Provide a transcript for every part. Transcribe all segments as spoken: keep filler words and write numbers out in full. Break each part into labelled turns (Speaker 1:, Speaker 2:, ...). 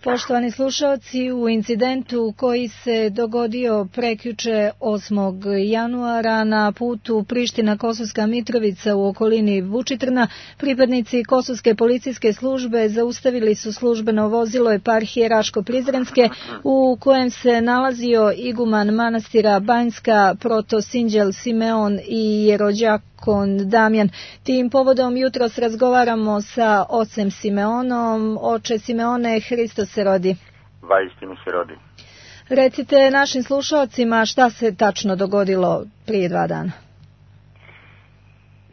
Speaker 1: Poštovani slušalci, u incidentu koji se dogodio prekjuče osmog januara na putu Priština-Kosovska Mitrovica u okolini Vučitrna, pripadnici Kosovske policijske službe zaustavili su službeno vozilo eparhije Raško-Prizrenske u kojem se nalazio iguman manastira Banjska protosinđel Simeon i jerođakon Damjan. Tim povodom jutros razgovaramo sa ocem Simeonom. Oče Simeone, Hristos se rodi.
Speaker 2: Vaistinu se rodi.
Speaker 1: Recite našim slušalcima šta se tačno dogodilo prije dva dana.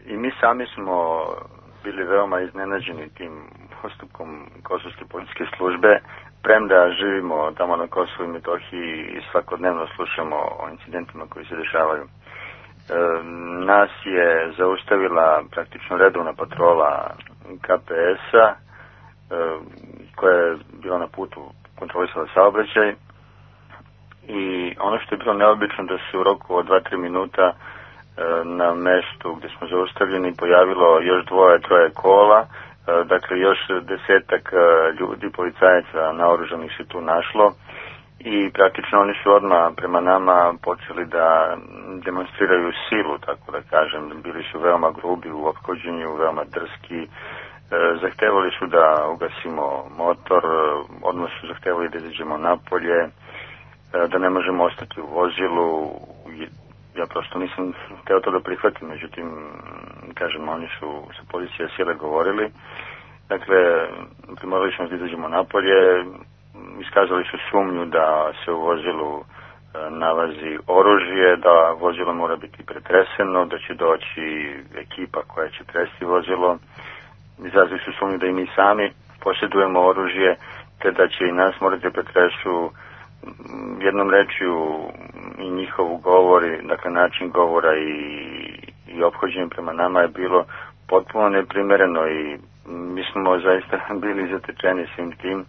Speaker 2: I mi sami smo bili veoma iznenađeni tim postupkom Kosovske policijske službe, premda živimo tamo na Kosovu i Metohiji i svakodnevno slušamo o incidentima koji se dešavaju. E, nas je zaustavila praktično redovna patrola K P S-a e, koja je bila na putu kontrolisala saobraćaj i ono što je bilo neobično da se u roku od dva do tri minuta e, na mestu gdje smo zaustavljeni pojavilo još dvoje, troje kola, e, dakle još desetak ljudi, policajaca naoružanih se tu našlo i praktično oni su odmah prema nama počeli da demonstriraju silu, tako da kažem. Bili su veoma grubi u ophođenju, veoma drski. Zahtevali su da ugasimo motor, odmah su zahtevali da izađemo napolje, da ne možemo ostati u vozilu. Ja prosto nisam hteo to da prihvatim, međutim, kažem, oni su sa policije sile govorili. Dakle, primorali smo da izađemo napolje, iskazali su sumnju da se u vozilu nalazi oružje, da vozilo mora biti pretreseno, da će doći ekipa koja će tresti vozilo. Izrazili su sumnju da i mi sami posjedujemo oružje, te da će i nas morati da pretresu. Jednom rečju i njihovu govori, dakle način govora i, i ophođenje prema nama je bilo potpuno neprimereno i mi smo zaista bili zatečeni svim tim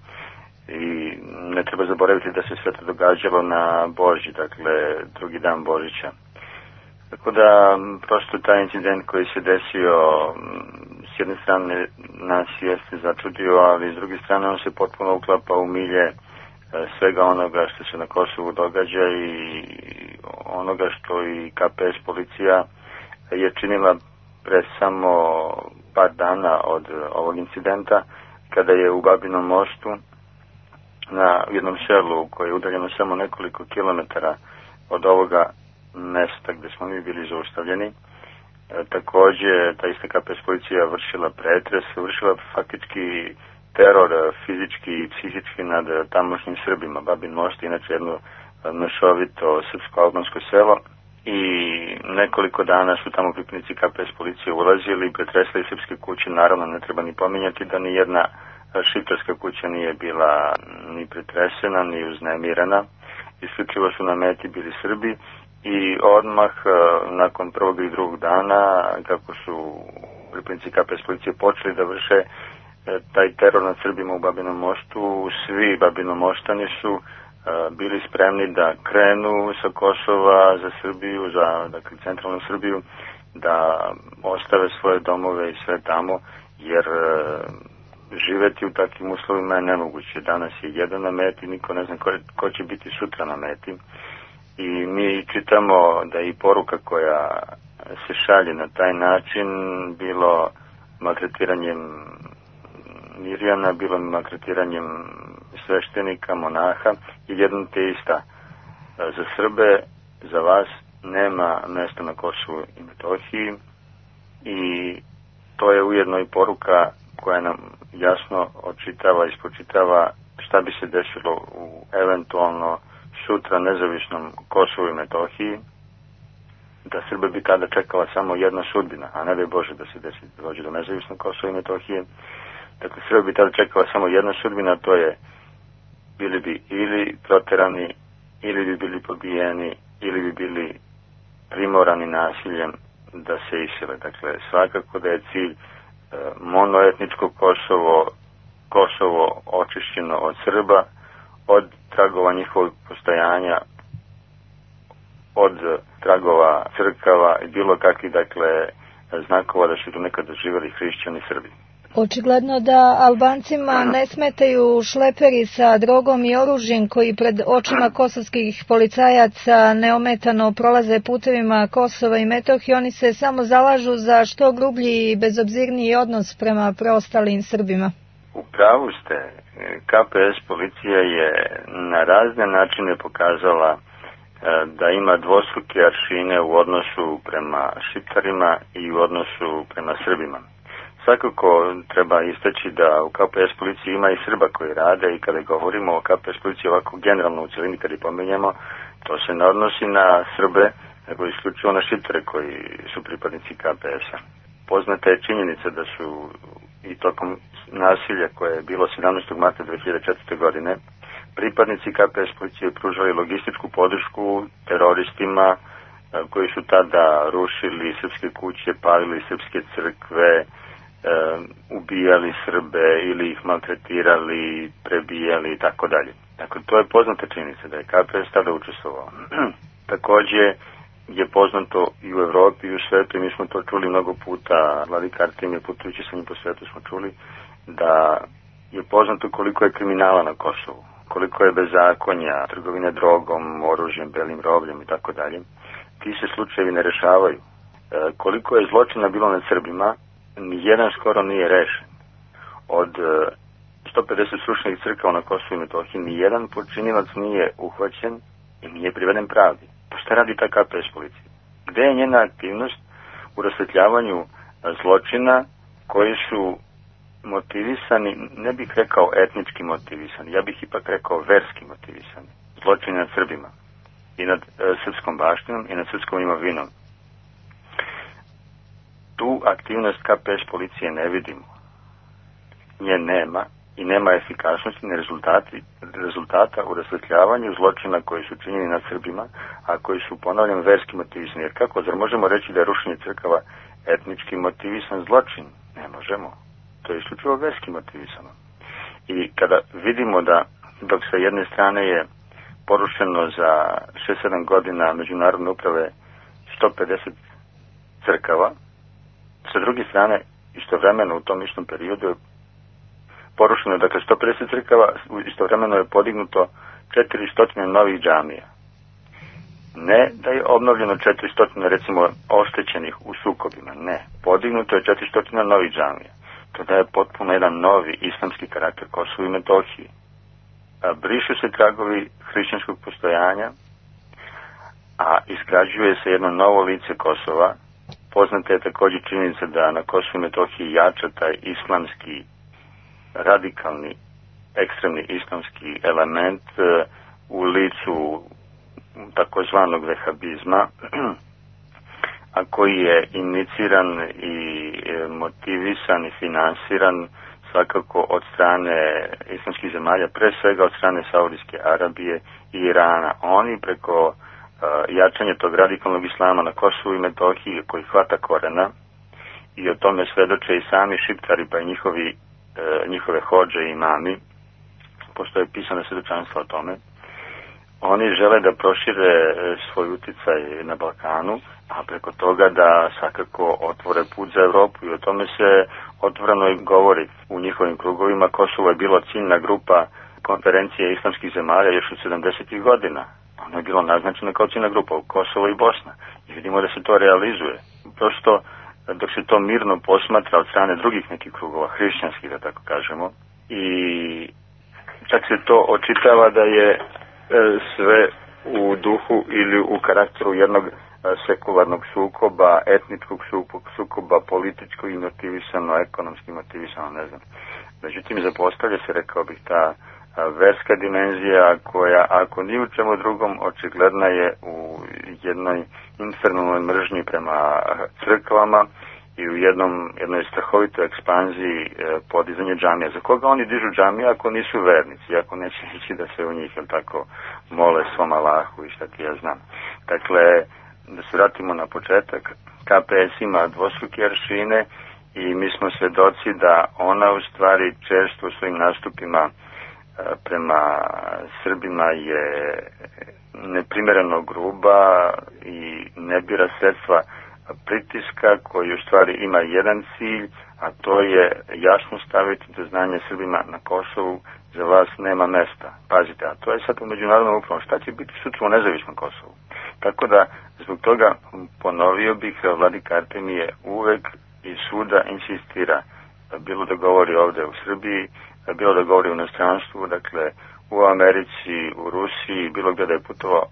Speaker 2: i ne treba zaboraviti da se sve to događalo na Božić, dakle drugi dan Božića. Tako da prosto taj incident koji se desio s jedne strane nas jeste začudio, ali s druge strane on se potpuno uklapa u milje svega onoga što se na Kosovu događa i onoga što i K P S policija je činila pre samo par dana od ovog incidenta, kada je u Babinom Mostu na jednom selu koje je udaljeno samo nekoliko kilometara od ovoga mesta gdje smo mi bili zaustavljeni. E, također ta ista K P S policija vršila pretres, vršila faktički teror fizički i psihički nad tamošnjim Srbima. Babin Most je inače jedno mešovito srpsko-albansko selo i nekoliko dana su tamo pripadnici K P S policije ulazili i pretresli srpske kuće. Naravno, ne treba ni pominjati da ni jedna šiptarska kuća nije bila ni pretresena, ni uznemirana. Isključivo su na meti bili Srbi i odmah nakon prvog i drugog dana, kako su pripadnici K P S policije počeli da vrše taj teror nad Srbima u Babinom Mostu, svi Babinomoštani su bili spremni da krenu sa Kosova za Srbiju, za dakle, centralnu Srbiju, da ostave svoje domove i sve tamo, jer živeti u takvim uslovima je nemoguće. Danas je jedan na meti, niko ne zna ko, ko će biti sutra na meti. I mi čitamo da i poruka koja se šalje na taj način, bilo maltretiranjem Mirjana, bilo maltretiranjem sveštenika, monaha, i jedno te ista. Za Srbe, za vas nema mesta na Kosovu i Metohiji i to je ujedno i poruka koja nam jasno očitava i spočitava šta bi se desilo u eventualno sutra nezavisnom Kosovu i Metohiji, da Srbe bi tada čekala samo jedna sudbina, a ne daj Bože da se desi da dođe do nezavisnog Kosova i Metohije. Dakle, Srbe bi tada čekala samo jedna sudbina, to je bili bi ili proterani, ili bi bili pobijeni, ili bi bili primorani nasiljem da se isele. Dakle, svakako da je cilj e, monoetničko Kosovo, Kosovo očišćeno od Srba, od tragova njihovog postojanja, od tragova crkava i bilo kakvih, dakle, znakova da su tu nekada živjeli hrišćani Srbi.
Speaker 1: Očigledno da Albancima ne smetaju šleperi sa drogom i oružjem koji pred očima kosovskih policajaca neometano prolaze putevima Kosova i Metohije. Oni se samo zalažu za što grublji i bezobzirniji odnos prema preostalim Srbima.
Speaker 2: U pravu ste. K P S policija je na razne načine pokazala da ima dvostruke aršine u odnosu prema Šiptarima i u odnosu prema Srbima. Svakako treba istaći da u K P S policiji ima i Srba koji rade i kada govorimo o K P S policiji ovako generalno u cijelini kada ih pomenjamo, to se ne odnosi na Srbe, nego isključivo na Šiptare koji su pripadnici K P S-a. Poznata je činjenica da su i tokom nasilja koje je bilo sedamnaestog marta dve hiljade četvrte. godine pripadnici K P S policije pružali logističku podršku teroristima koji su tada rušili srpske kuće, palili srpske crkve, ubijali Srbe ili ih maltretirali, prebijali i tako dalje. Dakle, to je poznata činjenica da je K P S tada učestvovao. Također je poznato i u Evropi i u svetu, mi smo to čuli mnogo puta, Vladika Artemije putujući sa njim po svetu smo čuli, da je poznato koliko je kriminala na Kosovu, koliko je bezakonja, trgovine drogom, oružjem, belim robljem i tako dalje. Ti se slučajevi ne rešavaju. E, koliko je zločina bilo nad Srbima, nijedan skoro nije rešen. Od e, sto pedeset srušenih crkava na Kosovu i Metohiji, nijedan počinilac nije uhvaćen i nije priveden pravdi. Pa šta radi ta K P S policija? Gde je njena aktivnost u rasvetljavanju zločina koji su motivisani, ne bih rekao etnički motivisani, ja bih ipak rekao verski motivisani. Zločini nad Srbima i nad e, srpskom baštinom i nad srpskom imovinom. Tu aktivnost K P S policije ne vidimo. Nje nema i nema efikasnosti ni rezultati, rezultata u rasvetljavanju zločina koji su činjeni nad Srbima, a koji su, ponavljam, verski motivisani. Jer kako, zar možemo reći da je rušenje crkava etnički motivisan zločin? Ne možemo. To je isključivo verski motivisano. I kada vidimo da dok sa jedne strane je porušeno za šest sedam godina međunarodne uprave sto pedeset crkava, sa druge strane istovremeno u tom istom periodu je porušeno, dakle, sto pedeset crkava, istovremeno je podignuto četiristo novih džamija. Ne da je obnovljeno četiristo, recimo, oštećenih u sukobima, ne. Podignuto je četiristo novih džamija. To daje potpuno jedan novi islamski karakter Kosovu i Metohiji. Brišu se tragovi hrišćanskog postojanja, a izgrađuje se jedno novo lice Kosova. Poznata je također činjenica da na Kosovu i Metohiji jača taj islamski, radikalni, ekstremni islamski element u licu takozvanog vehabizma, a koji je iniciran i motivisan i finansiran svakako od strane islamskih zemalja, pre svega od strane Saudijske Arabije i Irana. Oni preko uh, jačanja tog radikalnog islama na Kosovu i Metohiji koji hvata korena, i o tome svedoče i sami Šiptari pa i njihovi, uh, njihove hodže i imami, postoje pisane svedočanstva o tome. Oni žele da prošire svoj uticaj na Balkanu, a preko toga da svakako otvore put za Evropu, i o tome se otvoreno i govori u njihovim krugovima. Kosovo je bilo ciljna grupa konferencije islamskih zemalja još od sedamdesetih godina. Ono je bilo naznačeno kao ciljna grupa u Kosovo i Bosna. I vidimo da se to realizuje. Prosto dok se to mirno posmatra od strane drugih nekih krugova, hrišćanskih da tako kažemo, i čak se to očitava da je sve u duhu ili u karakteru jednog sekularnog sukoba, etničkog sukoba, političkog i motivisano, ekonomski motivisano, ne znam. Međutim, zapostavlja se, rekao bih, ta verska dimenzija koja, ako ni u čemu drugom, očigledna je u jednoj infernalnoj mržnji prema crkvama i u jednom, jednoj strahovitoj ekspanziji e, podizanje džamija. Za koga oni dižu džamije ako nisu vernici, ako neće ići da se u njih, jel tako, mole svom Allahu i šta ti ja znam. Dakle, da se vratimo na početak, K P S ima dvostruke aršine i mi smo svedoci da ona u stvari često u svojim nastupima e, prema Srbima je neprimereno gruba i ne bira sredstva pritiska koji u stvari ima jedan cilj, a to je jasno staviti do znanja Srbima na Kosovu, za vas nema mesta. Pazite, a to je sad u međunarodnom upravom. Šta će biti sutra u nezavisnom Kosovu? Tako da, zbog toga ponovio bih, vladika Artemije uvek i svuda insistira, bilo da govori ovde u Srbiji, bilo da govori u inostranstvu, dakle u Americi, u Rusiji, bilo gde da je putovao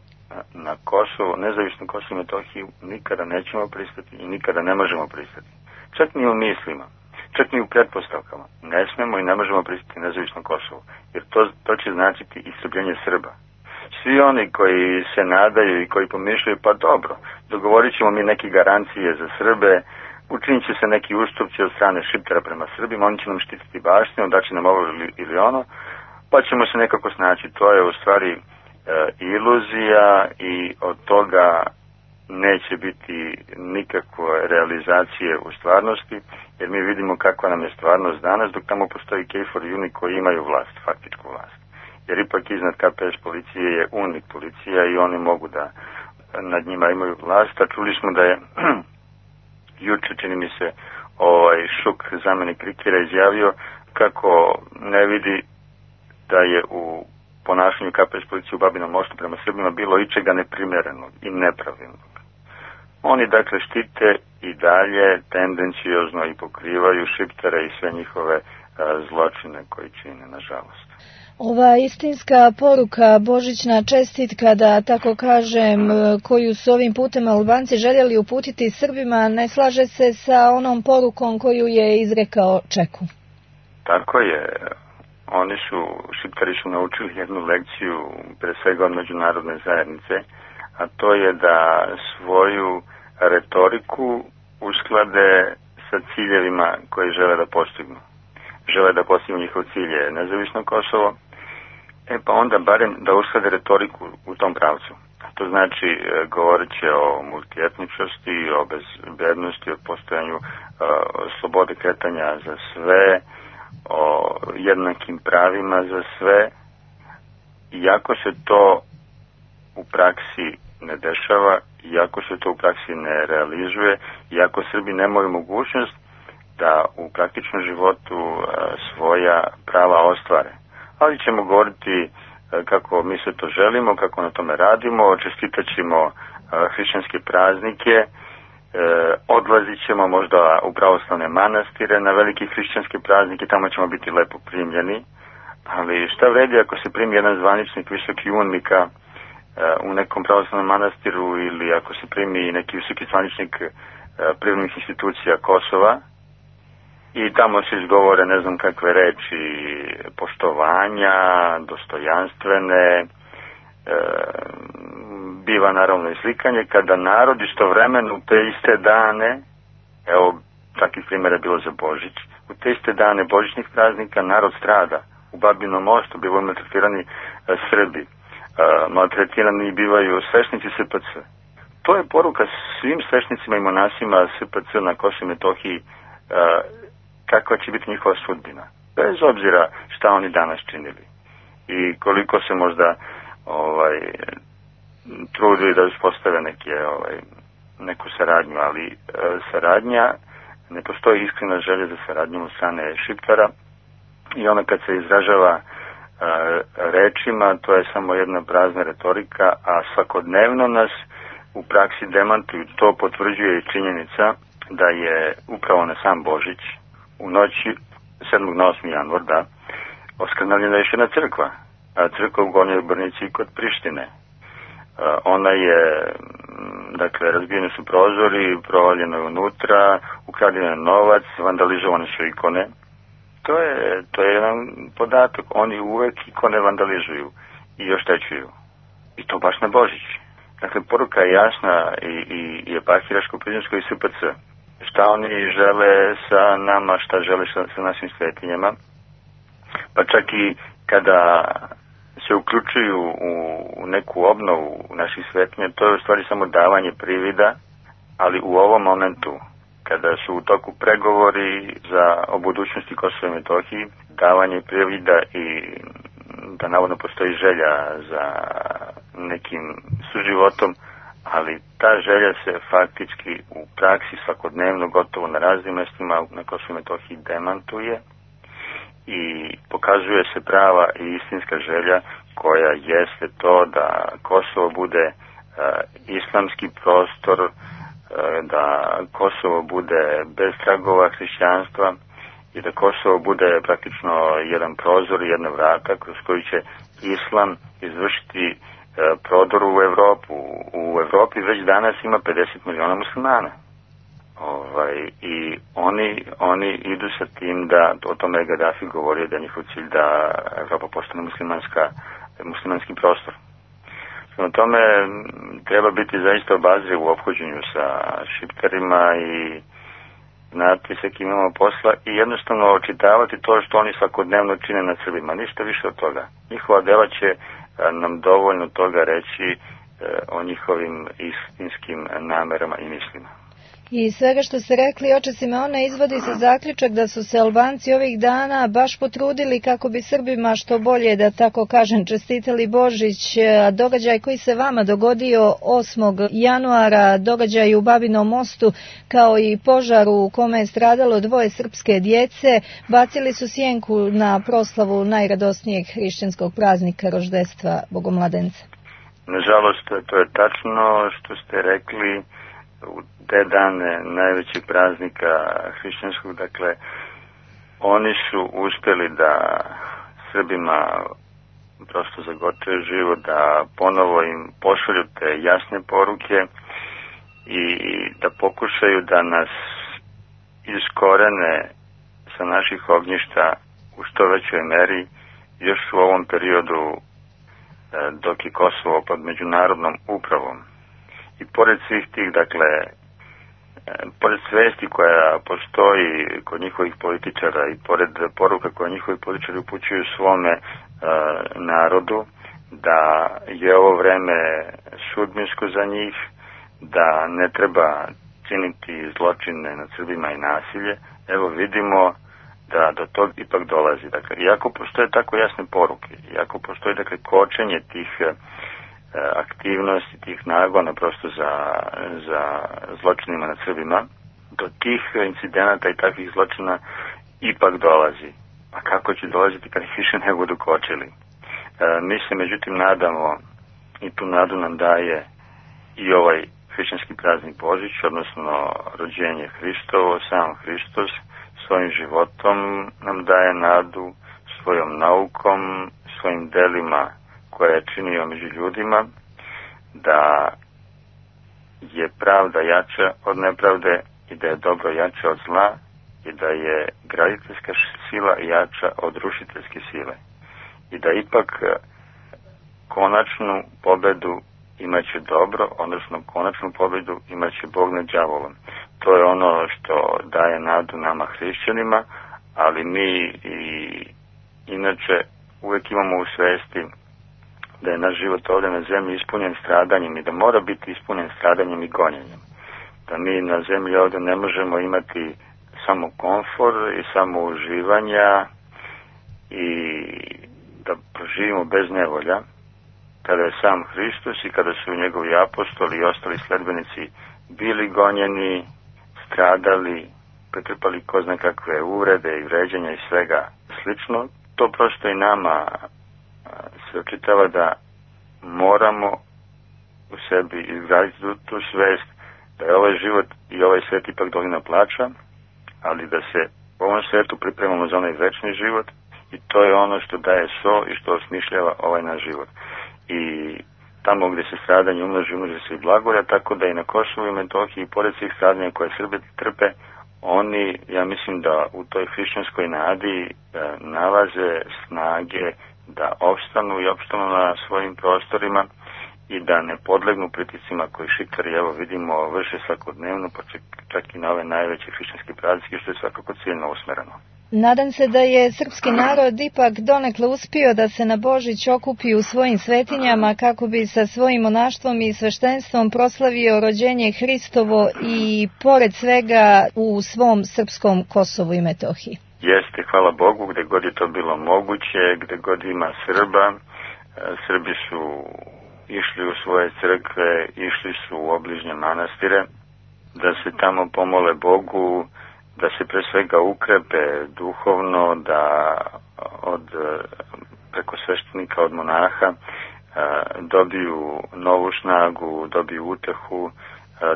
Speaker 2: na Kosovo, nezavisno Kosovo i Metohiju, nikada nećemo pristati i nikada ne možemo pristati. Čak ni u mislima, čak ni u pretpostavkama. Ne smemo i ne možemo pristati nezavisno Kosovo, jer to, to će značiti istrbljenje Srba. Svi oni koji se nadaju i koji pomišljaju, pa dobro, dogovorit ćemo mi neke garancije za Srbe, učinit će se neki ustupci od strane Šiptara prema Srbima, oni će nam štititi baštinu, da će nam ovo ili, ili ono, pa ćemo se nekako snaći. To je u stvari e, iluzija i od toga neće biti nikakve realizacije u stvarnosti, jer mi vidimo kakva nam je stvarnost danas, dok tamo postoji Kejfor i Uni koji imaju vlast, faktičku vlast. Jer ipak iznad K P S policije je UNIK policija i oni mogu da nad njima imaju vlast, a čuli smo da je juče, čini mi se, ovaj Šuk, zamenik Rikera, izjavio kako ne vidi da je u ponašanju K P S policije u Babinom Mostu prema Srbima bilo ičega neprimerenog i nepravilnog. Oni dakle štite i dalje tendencijozno i pokrivaju Šiptare i sve njihove a, zločine koji čine, nažalost.
Speaker 1: Ova istinska poruka, božićna čestitka, da tako kažem, koju su ovim putem Albanci željeli uputiti Srbima, ne slaže se sa onom porukom koju je izrekao Čeku.
Speaker 2: Tako je. Oni su, Šiptari su naučili jednu lekciju, pre svega od međunarodne zajednice, a to je da svoju retoriku usklade sa ciljevima koji žele da postignu. Žele da postignu njihov cilj je nezavisno Kosovo, e pa onda barem da usklade retoriku u tom pravcu. To znači govorit će o multietničnosti, o bezbednosti, o postojanju uh, slobode kretanja za sve, o jednakim pravima za sve. Iako se to u praksi ne dešava, iako se to u praksi ne realizuje, iako Srbi nemaju mogućnost da u praktičnom životu uh, svoja prava ostvare. Ali ćemo govoriti uh, kako mi se to želimo, kako na tome radimo, čestitat ćemo uh, hrišćanske praznike, uh, odlazit ćemo možda u pravoslavne manastire na velike hrišćanske praznike, tamo ćemo biti lepo primljeni, ali šta vredi ako se primi jedan zvaničnik visoki unika uh, u nekom pravoslavnom manastiru ili ako se primi neki visoki zvaničnik uh, privrednih institucija Kosova, i tamo se izgovore ne znam kakve reči poštovanja, dostojanstvene, e, biva naravno i slikanje, kada narod istovremeno u te iste dane, evo takvih primjera je bilo za Božić, u te iste dane božićnih praznika narod strada. U Babinom Mostu bivaju maltretirani e, Srbi, e, maltretirani bivaju svešnici S P C. To je poruka svim svešnicima i monasima S P C na Kosovu i Metohiji, e, kakva će biti njihova sudbina, bez obzira šta oni danas činili i koliko se možda ovaj, trudili da uspostave neke, ovaj, neku saradnju, ali e, saradnja, ne postoji iskrena želja za saradnjom od strane Šiptara i ona kad se izražava e, rečima, to je samo jedna prazna retorika, a svakodnevno nas u praksi demantuju. To potvrđuje i činjenica da je upravo na sam Božić u noći sedmog na osmi januar, da, oskrnavljena je još jedna crkva, a crkva u Gornjoj Brnici kod Prištine. A, ona je, dakle, razbijeni su prozori, provaljeno je unutra, ukradeno je novac, vandalizovane su ikone. To je, to je jedan podatak, oni uvek ikone vandalizuju i oštećuju. I to baš na Božić. Dakle, poruka je jasna i, i, i Epahiraško-Prizrensko i S P C. Šta oni žele sa nama, šta žele sa, sa našim svetinjama. Pa čak i kada se uključuju u, u neku obnovu naših svetinja, to je u stvari samo davanje privida, ali u ovom momentu, kada su u toku pregovori za o budućnosti Kosova i Metohiji, davanje privida i da navodno postoji želja za nekim suživotom, ali ta želja se faktički u praksi svakodnevno gotovo na raznim mjestima na Kosovu i Metohiji demantuje i pokazuje se prava i istinska želja koja jeste to da Kosovo bude uh, islamski prostor, uh, da Kosovo bude bez tragova hrišćanstva i da Kosovo bude praktično jedan prozor i jedna vrata kroz koji će islam izvršiti uh, prodor u Evropu. U Evropi već danas ima pedeset miliona muslimana. Ovaj, i oni, oni idu sa tim da, o tome je Gaddafi govorio da je njihov cilj da Evropa postane muslimanska, muslimanski prostor. Na tome treba biti zaista obazriv u ophođenju sa šiptarima i znati sa kim imamo posla i jednostavno očitavati to što oni svakodnevno čine nad Srbima, ništa više od toga. Njihova dela će nam dovoljno toga reći o njihovim istinskim namerama i mislima.
Speaker 1: I svega što ste rekli, oče Simeone, izvodi se zaključak da su se Albanci ovih dana baš potrudili kako bi Srbima što bolje, da tako kažem, čestitali Božić. A događaj koji se vama dogodio osmog januara, događaj u Babinom mostu, kao i požar u kome je stradalo dvoje srpske djece, bacili su sjenku na proslavu najradosnijeg hrišćanskog praznika roždestva Bogomladenca.
Speaker 2: Nažalost, to je tačno što ste rekli. U te dane najvećeg praznika hrišćanskog, dakle, oni su uspjeli da Srbima prosto zagoče život, da ponovo im pošalju te jasne poruke i da pokušaju da nas iskorene sa naših ognjišta u što većoj meri još u ovom periodu dok je Kosovo pod međunarodnom upravom. I pored svih tih, dakle, pored svesti koja postoji kod njihovih političara i pored poruka koje njihovi političari upućuju svome uh, narodu, da je ovo vreme sudbinsko za njih, da ne treba činiti zločine nad Srbima i nasilje, evo vidimo da do tog ipak dolazi. Dakle, iako postoje tako jasne poruke, iako postoji, dakle, kočenje tih aktivnosti, tih nagona prosto za, za zločinima nad Srbima, do tih incidenata i takvih zločina ipak dolazi. A kako će dolaziti kad ih više ne budu kočili? E, mi se međutim nadamo, i tu nadu nam daje i ovaj hrišćanski praznik Božić, odnosno rođenje Hristovo, sam Hristos svojim životom nam daje nadu, svojom naukom, svojim delima koje je činio među ljudima, da je pravda jača od nepravde i da je dobro jače od zla i da je graditeljska sila jača od rušiteljske sile i da ipak konačnu pobedu imaće dobro, odnosno konačnu pobedu imaće Bog nad đavolom. To je ono što daje nadu nama hrišćanima, ali mi i inače uvijek imamo u svesti da je naš život ovdje na zemlji ispunjen stradanjem i da mora biti ispunjen stradanjem i gonjenjem. Da mi na zemlji ovdje ne možemo imati samo komfor i samo uživanja i da proživimo bez nevolja, kada je sam Hristos i kada su njegovi apostoli i ostali sledbenici bili gonjeni, stradali, pretrpali ko zna kakve uvrede i vređanja i svega slično, to prosto i nama se očitava da moramo u sebi izgraditi tu, tu svest da je ovaj život i ovaj svijet ipak dolina plača, ali da se u ovom svijetu pripremamo za onaj večni život i to je ono što daje so i što osmišljava ovaj naš život. I tamo gdje se stradanje umnoži, umnoži se i blagolja, tako da i na Kosovu i Metohiji, pored svih stradanja koje Srbi trpe, oni, ja mislim da u toj hrišćanskoj nadi da nalaze snage da opstanu i opstanu na svojim prostorima i da ne podlegnu pritiscima koji šiptari, evo vidimo, vrše svakodnevno, pa čak, čak i na ove najveće hrišćanske praznike, što je svakako ciljno usmereno.
Speaker 1: Nadam se da je srpski narod ipak donekle uspio da se na Božić okupi u svojim svetinjama kako bi sa svojim monaštvom i sveštenstvom proslavio rođenje Hristovo i pored svega u svom srpskom Kosovu i Metohiji.
Speaker 2: Jeste, hvala Bogu, gde god je to bilo moguće, gde god ima Srba. Srbi su išli u svoje crkve, išli su u obližnje manastire, da se tamo pomole Bogu, da se pre svega ukrepe duhovno, da od preko sveštenika, od monaha dobiju novu snagu, dobiju utehu,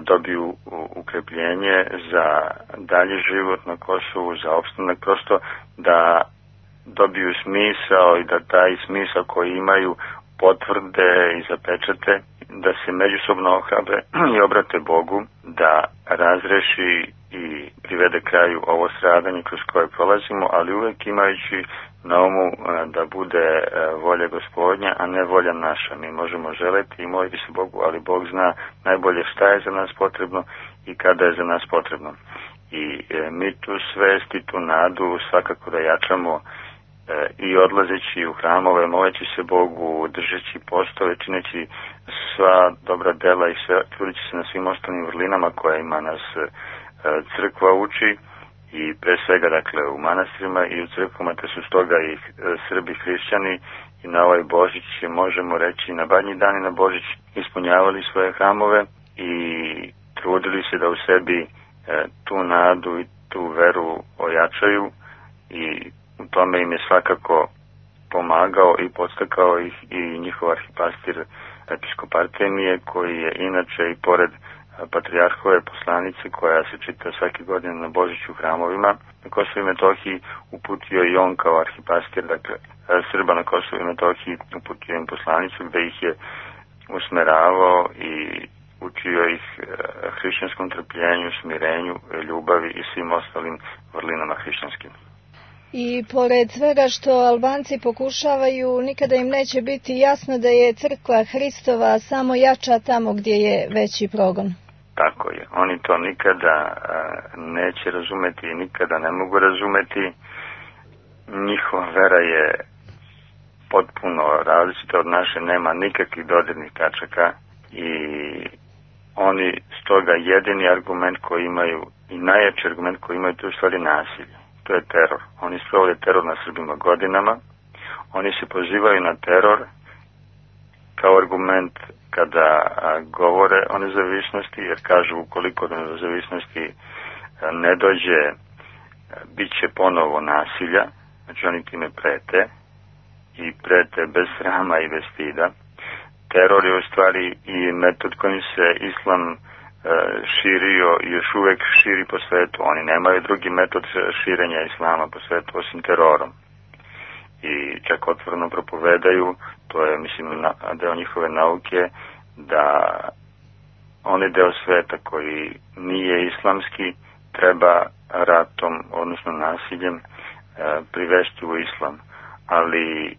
Speaker 2: dobiju ukrepljenje za dalji život na Kosovu, za opstanak, prosto da dobiju smisao i da taj smisao koji imaju potvrde i zapečate, da se međusobno ohrabre i obrate Bogu, da razreši i privede kraju ovo stradanje kroz koje prolazimo, ali uvek imajući na umu da bude volja Gospodnja, a ne volja naša. Mi možemo želeti i moliti se Bogu, ali Bog zna najbolje šta je za nas potrebno i kada je za nas potrebno. I mi tu svest i tu nadu svakako da jačamo i odlazeći u hramove, moleći se Bogu, držeći postove, čineći sva dobra dela i sve, trudeći se na svim ostalim vrlinama kojima nas crkva uči, i pre svega, dakle, u manastirima i u crkvama, te su stoga i Srbi hrišćani i na ovaj Božić, možemo reći, na Badnji dan i na Božić ispunjavali svoje hramove i trudili se da u sebi tu nadu i tu veru ojačaju, i u tome im je svakako pomagao i podstakao ih i njihov arhipastir episkop Artemije, koji je inače i pored patrijarhove poslanice koja se čita svake godine na Božiću u hramovima na Kosovu i Metohiji, uputio i on kao arhipastir, dakle, Srba na Kosovu i Metohiji, uputio im poslanicu gde ih je usmeravao i učio ih hrišćanskom trpljenju, smirenju, ljubavi i svim ostalim vrlinama hrišćanskim.
Speaker 1: I pored svega što Albanci pokušavaju, nikada im neće biti jasno da je crkva Hristova samo jača tamo gdje je veći progon.
Speaker 2: Tako je. Oni to nikada neće razumeti i nikada ne mogu razumeti. Njihova vera je potpuno različita od naše, nema nikakvih dodirnih tačaka i oni stoga jedini argument koji imaju i najjači argument koji imaju, to je u stvari nasilje. To je teror. Oni sprovode teror na Srbima godinama. Oni se pozivaju na teror kao argument kada govore o nezavisnosti, jer kažu ukoliko do nezavisnosti ne dođe, bit će ponovo nasilja. Znači oni time prete i prete bez srama i bez stida. Teror je u stvari i metod kojim se islam širio i još uvek širi po svetu. Oni nemaju drugi metod širenja islama po svetu osim terorom. I čak otvoreno propovedaju, to je, mislim, deo njihove nauke, da onaj deo sveta koji nije islamski treba ratom, odnosno nasiljem, privesti u islam. Ali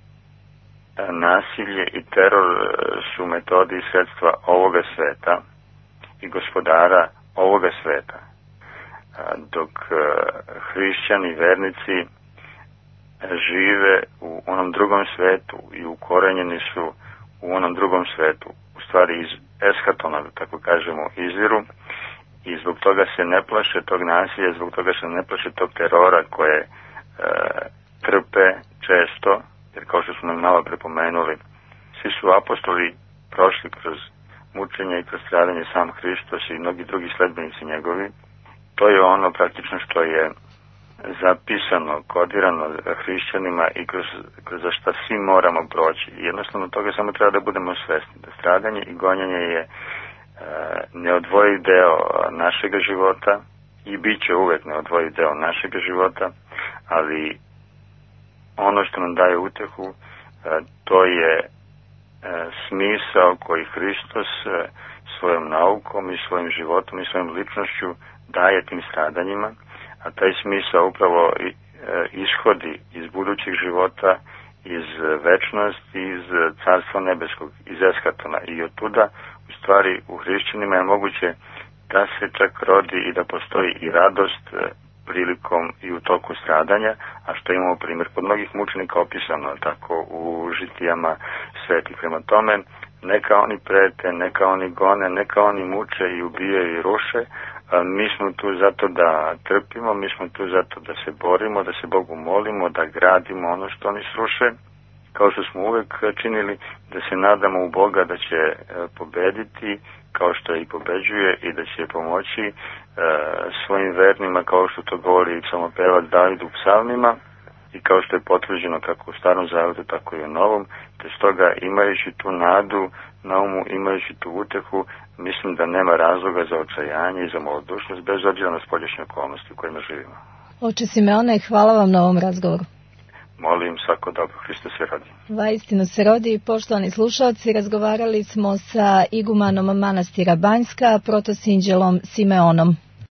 Speaker 2: nasilje i teror su metodi i sredstva ovoga sveta i gospodara ovoga sveta, dok hrišćani, vernici žive u onom drugom svetu i ukorenjeni su u onom drugom svetu, u stvari iz eshatona, da tako kažemo, izviru, i zbog toga se ne plaše tog nasilja, zbog toga se ne plaše tog terora koje e, trpe često, jer kao što smo nam malo prepomenuli, svi su apostoli prošli kroz mučenje i kroz stradanje, sam Hristos i mnogi drugi sledbenici njegovi. To je ono praktično što je zapisano, kodirano hrišćanima i kroz, kroz za šta svi moramo proći. Jednostavno toga samo treba da budemo svesni, da stradanje i gonjenje je e, neodvojiv deo našega života i bit će uvek neodvojiv deo našega života, ali ono što nam daje utehu, e, to je e, smisao koji Hristos e, svojom naukom i svojim životom i svojom ličnošću daje tim stradanjima, a taj smisao upravo e, ishodi iz budućeg života, iz večnosti, iz carstva nebeskog, iz eshatona, i od tuda u stvari u hrišćanima je moguće da se čak rodi i da postoji i radost e, prilikom i u toku stradanja, a što imamo primjer kod mnogih mučenika opisano tako u žitijama svetih. Prema tome, neka oni prete, neka oni gone, neka oni muče i ubijaju i ruše, a mi smo tu zato da trpimo, mi smo tu zato da se borimo, da se Bogu molimo, da gradimo ono što oni sruše, kao što smo uvek činili, da se nadamo u Boga da će pobediti, kao što i pobeđuje, i da će pomoći e, svojim vernima, kao što to govori psalmopevac David u psalmima, i kao što je potvrđeno kako u Starom Zavetu, tako i u Novom, te stoga imajući tu nadu na umu, imajući tu utehu, mislim da nema razloga za očajanje i za malodušnost, bez obzira na spoljašnje okolnosti u kojima živimo.
Speaker 1: Oče Simeone, hvala vam na ovom razgovoru.
Speaker 2: Molim svako dobro, Hristos se rodi.
Speaker 1: Vaistinu se rodi. Poštovani slušalci, razgovarali smo sa igumanom manastira Banjska, protosinđelom Simeonom.